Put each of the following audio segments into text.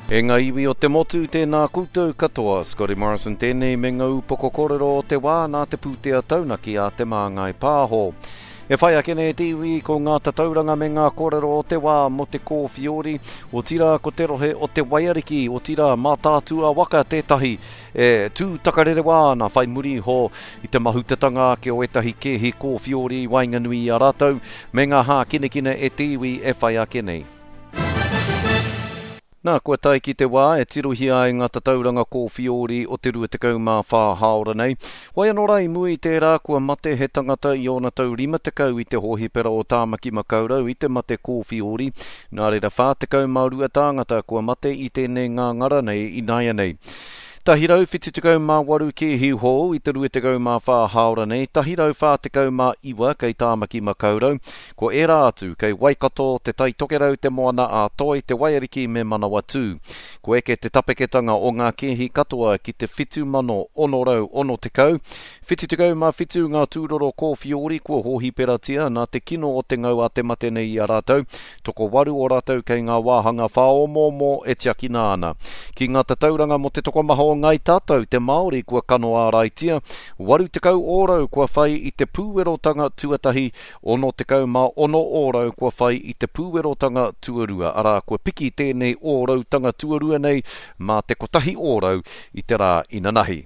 E ngā iwi o te motu, tēnā koutou katoa. Scotty Morrison tēnei me ngā upoko kōrero o te wā nā te pūtea taunaki a Te Māngai Pāho. E whai ake nei te iwi ko ngā tatauranga me ngā kōrero o te wā mō te kōwhiori, otirā ko te rohe o te Waiariki, otirā Mātaatua waka tētahi e tū takarerewa ana whai muri iho i te mahutatanga ake o ētahi kēhi kōwhiori i waenganui i a rātou me ngā hākinakina e te iwi e whai ake nei. Nā, kua tae ki te wā e tirohia ai ngā tatauranga kōwhiori o te 24 hāora nei. Whai anō rā i mua i tērā, kua mate he tangata i ōna tau 50 i te hōhipera o Tāmaki Makaurau i te mate kōwhiori. Nā reira 42 tāngata kua mate i tēnei ngāngara nei ināianei. 178 kēhi hou i te 24 hāora nei, 149 kei Tāmaki Makaurau. Ko ērā atu, kei Waikato, Te Tai Tokerau, Te Moana-a-Toi, Te Waiariki me Manawatū. Kua eke te tapeketanga o ngā kēhi katoa ki te 7,660. 77 ngā tūroro kōwhiori kua hōhiperatia nā te kino o te ngau a te mate nei i a rātou. Tokowaru o rātou kei ngā wāhanga whāomoomo e tiakina ana. Ki ngā tatauranga mō te tokomaha o Ngāi Tātou, te Māori kua kano āraitia, 80 ōrau kua whai i te pūwerotanga tuatahi 66 ōrau kua whai i te pūwerotanga tuarua, arā, kua piki tēnei ōrautanga tuarua nei mā te kotahi ōrau i te rā inanahi.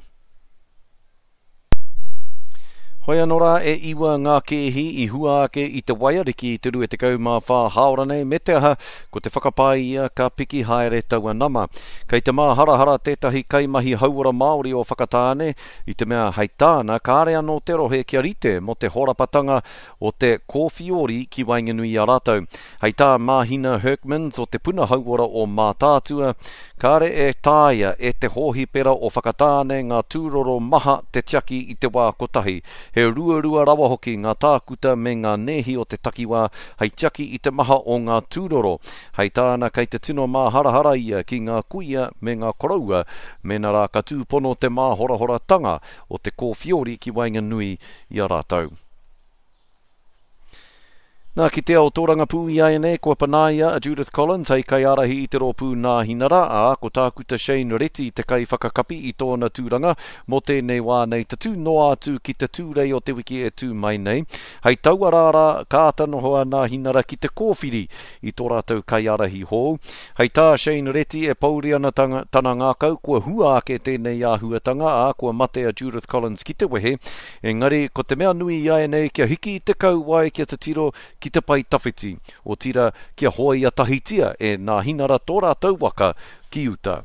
Hoi anō rā, e iwa ngā kēhi i hua ake i te waiariki i te 24 hāora nei, me te aha, ko te whakapae ia ka piki haere taua nama. Kei te māharahara tētahi kaimahi hauora Māori o Whakatāne, i te mea hei tāna kāre anō te rohe kia rite mō te horapatanga o te kōwhiori ki waenganui i a rātou. Hei tā Māhina Hurkmans o te Puna Hauora o Mātaatua, kāre e taea e te hōhipera o Whakatāne ngā tūroro maha te tiaki i te wā kotahi, he ruarua rawa hoki ngā tākuta me ngā nēhi o te takiwā hei tiaki i te maha o ngā tūroro. Hei tāna kei te tino māharahara ia ki ngā kuia me ngā koroua mēnā rā ka tūpono te māhorahoratanga o te kōwhiori ki waenganui i a rātou. Nā, ki te ao tōrangapū iaianei, kua panaia a Judith Collins hei kaiārahi i te rōpū Nāhinara, ā, ko Tākuta Shane Reti te kaiwhakakapi i tōna tūranga mō tēnei wā nei tatū noa atu ki te Tūrei o te wiki e tū mai nei. Hei taua rā rā, ka āta noho a Nāhinara ki te kōwhiri i tō rātou kaiārahi hou. Hei tā Shane Reti e pouri ana tana ngākau kua hua ake tēnei āhuatanga, ā, kua mate a Judith Collins ki te wehe, engari ko te mea nui iaianei kia hiki i te kauae kia titiro ki te pae tawhiti, otira kia hoea tahitia e Nāhinara tō rātou waka ki uta.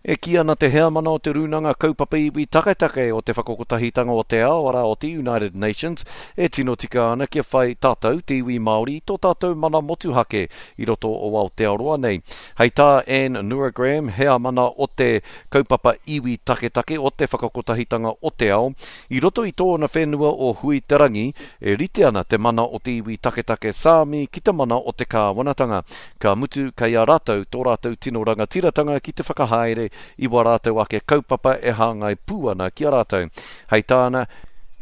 E kī ana te heamana o te Rūnanga Kaupapa Iwi Taketake o te Whakakotahitanga o te Ao, arā, o te United Nations, e tino tika ana kia whai tātou, te iwi Māori, i tō tātou mana motuhake i roto o Aotearoa nei. Hei tā Anne Nurragram, heamana o te Kaupapa Iwi Taketake o te Whakakotahitanga o te Ao, i roto i tōna whenua o Huiterangi, e rite ana te mana o te iwi taketake Sāmi ki te mana o te kāwanatanga. Ka mutu, kei a rātou tō rātou tino rangatiratanga ki te whakahaere i wā rātou ake kaupapa e hāngai pū ana ki a rātou. Hei tāna,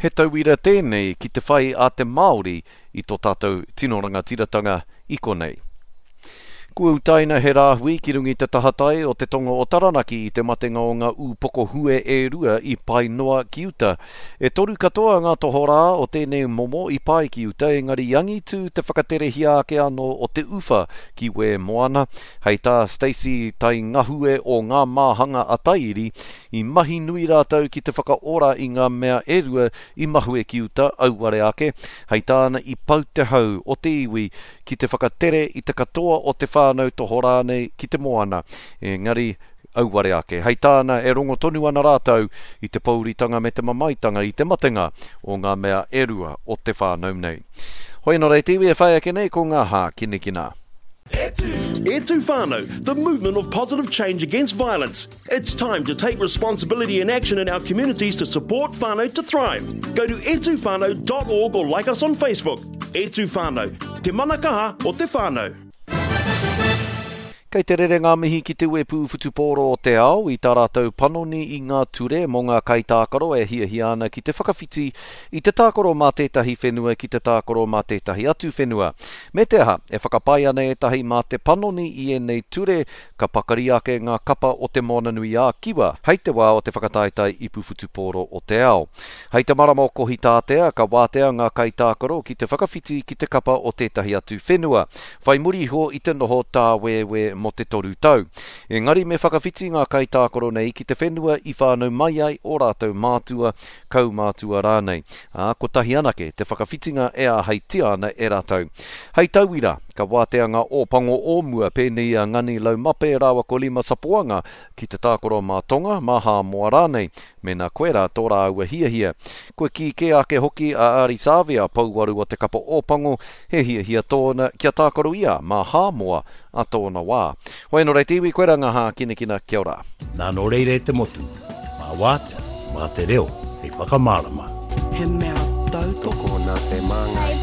he tauira tēnei ki te whai a te Māori i tō tātou tino rangatiratanga i konei. Kua utaina he rāhui ki runga i te tahatai o te tonga o Taranaki i te matenga o ngā ūpoko hue e rua i pae noa ki uta. E toru katoa ngā tohorā o tēnei momo i pae ki uta engari i angitū te whakaterehia ake anō o te uwha ki wē moana. Hei tā Stacey Taingahue o Ngā Māhanga a Taiiri, i mahi nui rātou ki te whakaora i ngā mea e rua i mahue ki uta, auare ake. Hei tāna i pau te hau o te iwi ki te whakatere i te katoa o te whānau tohorā nei ki te moana. Engari, auare ake. Hei tāna, e rongo tonu ana rātou i te pouritanga me te mamaetanga i te matenga o ngā mea e rua o te whānau nei. Hoi anō rā e te iwi e whai ake nei ko ngā hākinakina. E tū! E tū whānau, the movement of positive change against violence. It's time to take responsibility and action in our communities to support whānau to thrive. Go to etuwhānau.org or like us on Facebook. E tū whānau, te mana kaha o te whānau. Kei te rere ngā mihi ki te Uepū Whutupōro o te Ao i tā rātou panoni i ngā ture mō ngā kaitākaro e hiahia ana ki te whakawhiti i te tākaro mā tētahi whenua ki te tākaro mā tētahi atu whenua. Me te aha, e whakapae ana ētahi mā te panoni i ēnei ture ka pakari ake ngā kapa o Te Moananui-a-Kiwa hei te wā o te whakataetae Ipu Whutupōro o te Ao. Hei te marama o Kohitātea ka wātea ngā kaitākaro ki te whakawhiti ki te kapa o tētahi atu whenua, whai muri iho i te noho tāwēwē mō te toru tau. Engari me whakawhiti ngā kaitākaro nei ki te whenua i whānau mai ai ō rātou mātua, kaumātua rānei, ā, kotahi anake te whakawhitinga e āheitia ana e rātou. Hei tauira, ka wātea ngā Ōpango o mua pēnei i a Ngani Laumape rāua ko Lima Sapoanga ki te tākaro mā Tonga, mā Hāmoa rānei, mēnā koirā tō rāua hiahia. Kua kī kē ake hoki a Ardie Savea, pouaru o te kapa Ōpango, he hiahia tōna kia tākaro ia mā Hāmoa a tōna wā. Hoi anō rei te iwi, koirā ngā hākinakina, kia ora. Nā nō reira e te motu, mā wātea, mā te reo hei whakamārama. He mea tautoko. Tokona te māngai.